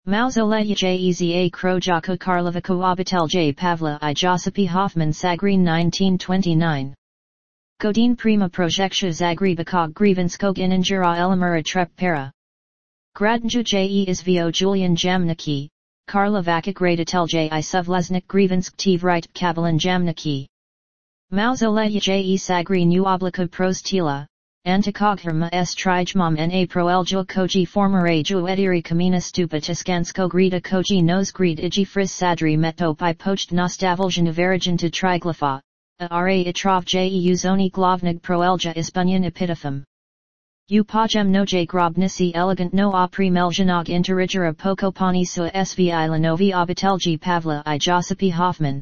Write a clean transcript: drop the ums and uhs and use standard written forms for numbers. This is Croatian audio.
Mauzoleya Jeza Krojaka Karlovako Obitelj Pavla I Josipy Hoffman Sagrin 1929. Godin prima projekcja Zagrebakog Grievanskog Inanjura Elamura Treppera. Gradnju je izvio Julian Jamniki, Karlovakic Raditelj I Suvleznik Grievansk Tvrit Kabalan Jamniki. Mauzoleya je Sagrin u Oblika Prostila, Antikogherma s Trijmom na Proeljo Koji Formare ju Ediri Kamina Stupa Tiskansko Grida Koji Nos Grid Iji Fris Sadri Meto Pi Pocht Nostavoljan Averajan to Triglypha, Ara Itrov je Uzoni Glavnig Proelja Ispunyan Epitaphum. U Pajem Noje Grobnisi Elegant no a Primeljanog Interigera Pokopani Sua Svi Lanovi Obitelji Pavla I Josipy Hoffman.